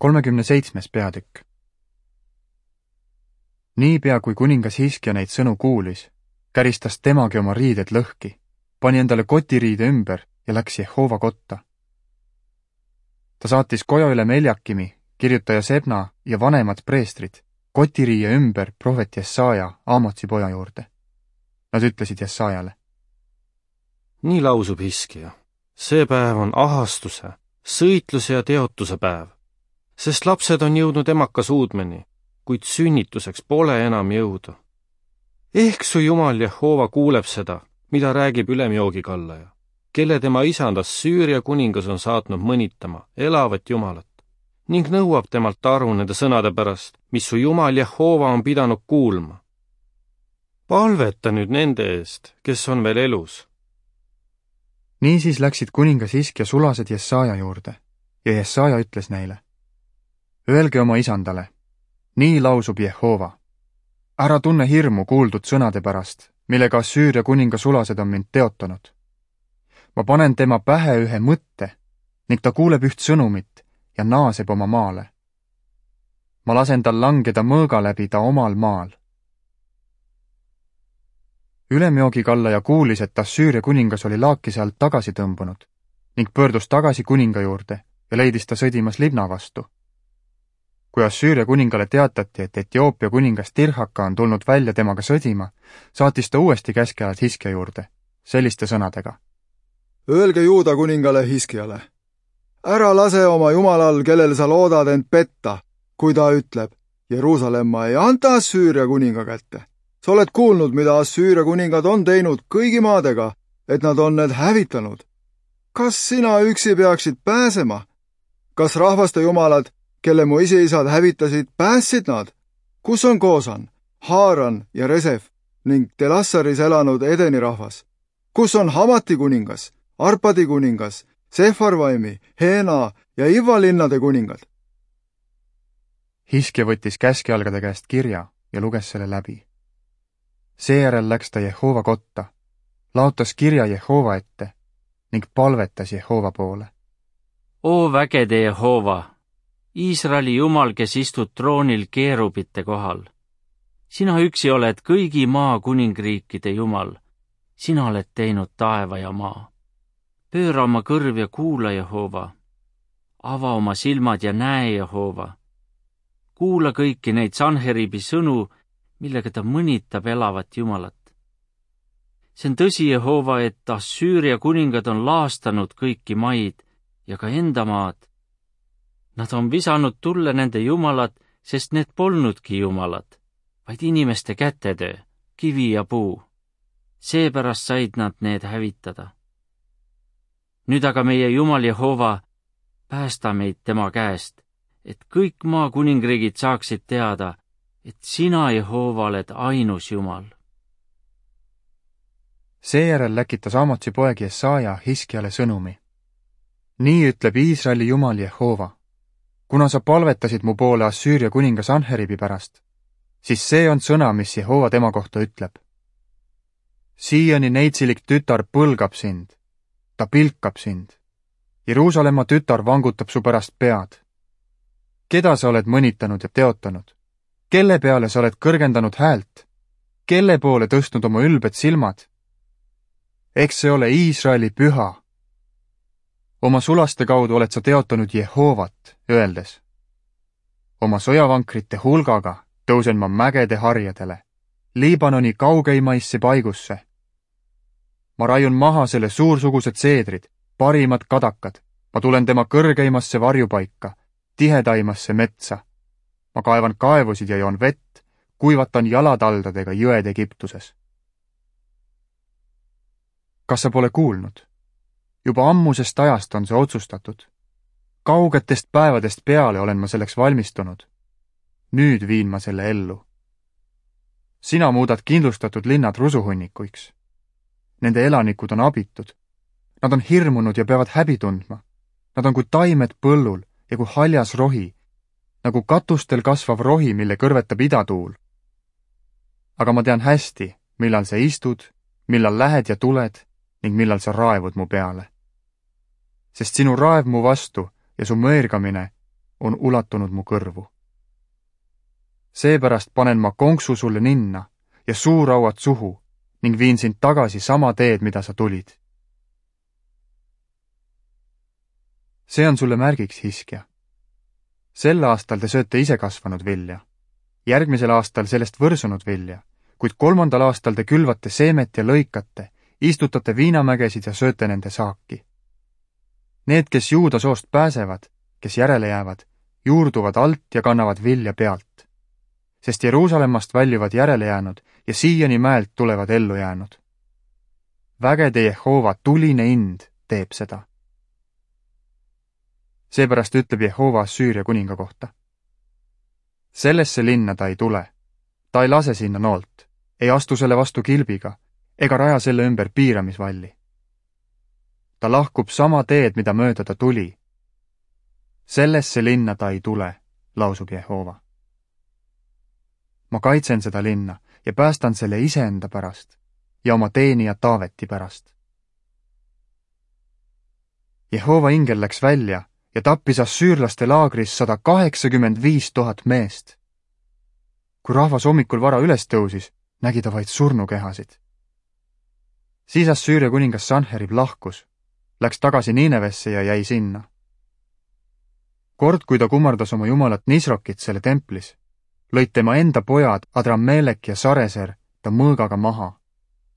37. peatükk. Niipea kui kuningas Hiskja neid sõnu kuulis, käristas temagi oma riided lõhki, pani endale kotiriide ümber ja läks Jehova kotta. Ta saatis koja üle Meljakimi, kirjutaja Sebna ja vanemad preestrid, kotiriie ümber prohvet Jesaja Aamotsi poja juurde. Nad ütlesid Jesajale: nii lausub Hiskja, see päev on ahastuse, sõitluse ja teotuse päev, sest lapsed on jõudnud emaka suudmeni, kuid sünnituseks pole enam jõudu. Ehk su Jumal Jehova kuuleb seda, mida räägib ülemjoogikallaja, kelle tema isandas Süüria kuningas on saatnud mõnitama elavat Jumalat ning nõuab temalt aru nende sõnade pärast, mis su Jumal Jehova on pidanud kuulma. Palveta nüüd nende eest, kes on veel elus. Niisiis läksid kuningas Hiskja sulased Jesaja juurde ja Jesaja ütles neile: Öelge oma isandale, nii lausub Jehova. Ära tunne hirmu kuuldud sõnade pärast, millega Süüria kuninga sulased on mind teotanud. Ma panen tema pähe ühe mõtte ning ta kuuleb üht sõnumit ja naaseb oma maale. Ma lasen tal langeda mõõga läbi ta omal maal. Ülemjoogikallaja kuulis, et Assüüria kuningas oli laakise alt tagasi tõmbunud ning pöördus tagasi kuninga juurde ja leidis ta sõdimas Libna vastu. Kui Assüüria kuningale teatati, et Etioopia kuningas Tirhaka on tulnud välja temaga sõdima, saatis ta uuesti käskajad Hiskja juurde, selliste sõnadega: Öelge Juuda kuningale Hiskjale: ära lase oma jumalal, kellele sa loodad end petta, kui ta ütleb: Jeruusalemma ei anta Assüüria kuninga kätte. Sa oled kuulnud, mida Assüüria kuningad on teinud kõigi maadega, et nad on need hävitanud. Kas sina üksi peaksid pääsema? Kas rahvaste jumalad, kelle mu isiisad hävitasid, päästsid nad? Kus on Koosan, Haaran ja Resef ning Telassaris elanud Edeni rahvas? Kus on Hamati kuningas, Arpadi kuningas, Sefarvaimi, Heena ja Iva linnade kuningad? Hiskja võttis käskjalgade käest kirja ja luges selle läbi. Seejärel läks ta Jehova kotta, laotas kirja Jehova ette ning palvetas Jehova poole. O vägede Jehova, Iisraeli Jumal, kes istud troonil keerubite kohal. Sina üksi oled kõigi maa kuningriikide Jumal. Sina oled teinud taeva ja maa. Pööra oma kõrv ja kuula, Jehova. Ava oma silmad ja näe, Jehova. Kuula kõiki neid Sanheribi sõnu, millega ta mõnitab elavat Jumalat. See on tõsi, Jehova, et Assüüria kuningad on laastanud kõiki maid ja ka enda maad. Nad on visanud tulle nende jumalad, sest need polnudki jumalad, vaid inimeste kätetöö, kivi ja puu. Seepärast said nad need hävitada. Nüüd aga meie Jumal Jehova, päästa meid tema käest, et kõik maa kuningriigid saaksid teada, et sina, Jehova, oled ainus Jumal. Seejärel läkitas Aamotsi poeg Jesaja Hiskjale sõnumi. Nii ütleb Iisraeli Jumal Jehova: kuna sa palvetasid mu poole Assüüria kuninga Sanheribi pärast, siis see on sõna, mis Jehova tema kohta ütleb. Siiani neitsilik tütar põlgab sind, ta pilkab sind. Jeruusalemma tütar vangutab su pärast pead. Keda sa oled mõnitanud ja teotanud? Kelle peale sa oled kõrgendanud häält? Kelle poole tõstnud oma ülbed silmad? Eks see ole Iisraeli püha. Oma sulaste kaudu oled sa teotanud Jehovat, öeldes: oma sõjavankrite hulgaga tõusen ma mägede harjadele, Liibanoni kaugeimaisse paigusse. Ma raiun maha selle suursugused seedrid, parimad kadakad, ma tulen tema kõrgeimasse varjupaika, tihedaimasse metsa. Ma kaevan kaevusid ja joon vett, kuivatan jalataldadega jõed Egiptuses. Kas sa pole kuulnud? Juba ammusest ajast on see otsustatud. Kaugetest päevadest peale olen ma selleks valmistunud. Nüüd viin ma selle ellu. Sina muudad kindlustatud linnad rusuhunnikuiks. Nende elanikud on abitud. Nad on hirmunud ja peavad häbi tundma. Nad on kui taimed põllul ja kui haljas rohi, nagu katustel kasvav rohi, mille kõrvetab idatuul. Aga ma tean hästi, millal sa istud, millal lähed ja tuled ning millal sa raevud mu peale. Sest sinu raev mu vastu ja su mõergamine on ulatunud mu kõrvu. Seepärast panen ma konksu sulle ninna ja suurauad suhu ning viin sind tagasi sama teed, mida sa tulid. See on sulle märgiks, Hiskja. Sel aastal te sööte ise kasvanud vilja, järgmisel aastal sellest võrsunud vilja, kuid 3. aastal te külvate seemet ja lõikate, istutate viinamägesid ja sööte nende saaki. Need, kes Juuda soost pääsevad, kes järele jäävad, juurduvad alt ja kannavad vilja pealt, sest Jeruusalemmast väljuvad järele jäänud ja Siioni mäelt tulevad ellu jäänud. Vägede Jehova tuline ind teeb seda. Seepärast ütleb Jehova Assüüria kuninga kohta. Sellesse linna ta ei tule, ta ei lase sinna noolt, ei astu selle vastu kilbiga ega raja selle ümber piiramisvalli. Ta lahkub sama teed, mida mööda ta tuli. Sellesse linna ta ei tule, lausub Jehova. Ma kaitsen seda linna ja päästan selle iseenda pärast ja oma teenija Taaveti pärast. Jehova ingel läks välja ja tappis assüürlaste laagris 185 000 meest. Kui rahvas hommikul vara üles tõusis, nägi ta vaid surnukehasid. Siis Assüüria kuningas Sanherib lahkus, läks tagasi Niinevesse ja jäi sinna. Kord, kui ta kummardas oma jumalat Nisrokit selle templis, lõid tema enda pojad Adrammelek ja Sareser ta mõõgaga maha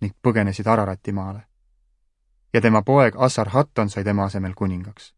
ning põgenesid Ararati maale. Ja tema poeg Assarhatton sai tema asemel kuningaks.